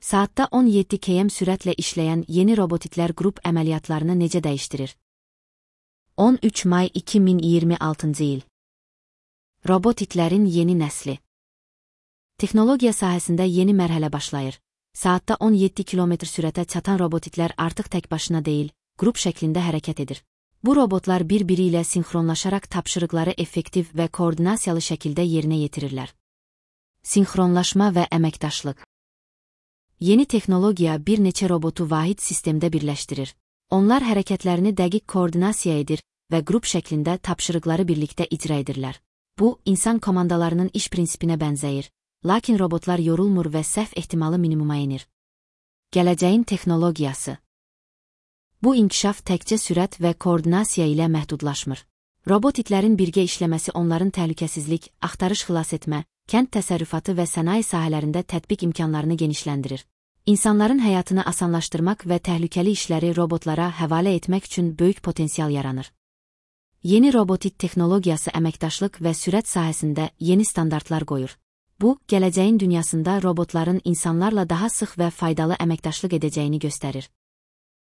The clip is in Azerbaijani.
Saatda 17 km sürətlə işləyən yeni robotiklər qrup əməliyyatlarını necə dəyişdirir? 13 may 2026-cı il. Robotiklərin yeni nəsli. Texnologiya sahəsində yeni mərhələ başlayır. Saatda 17 km sürətə çatan robotiklər artıq tək başına deyil, qrup şəklində hərəkət edir. Bu robotlar bir-biri ilə sinxronlaşaraq tapşırıqları effektiv və koordinasiyalı şəkildə yerinə yetirirlər. Sinxronlaşma və əməkdaşlıq. Yeni texnologiya bir neçə robotu vahid sistemdə birləşdirir. Onlar hərəkətlərini dəqiq koordinasiya edir və qrup şəklində tapşırıqları birlikdə icra edirlər. Bu, insan komandalarının iş prinsipinə bənzəyir, lakin robotlar yorulmur və səhv ehtimalı minimuma enir. Gələcəyin texnologiyası. Bu inkişaf təkcə sürət və koordinasiya ilə məhdudlaşmır. Robotiklərin birgə işləməsi onların təhlükəsizlik, axtarış xilas etmə, kənd təsərrüfatı və sənaye sahələrində tətbiq imkanlarını genişləndirir. İnsanların həyatını asanlaşdırmaq və təhlükəli işləri robotlara həvalə etmək üçün böyük potensial yaranır. Yeni robotik texnologiyası əməkdaşlıq və sürət sahəsində yeni standartlar qoyur. Bu, gələcəyin dünyasında robotların insanlarla daha sıx və faydalı əməkdaşlıq edəcəyini göstərir.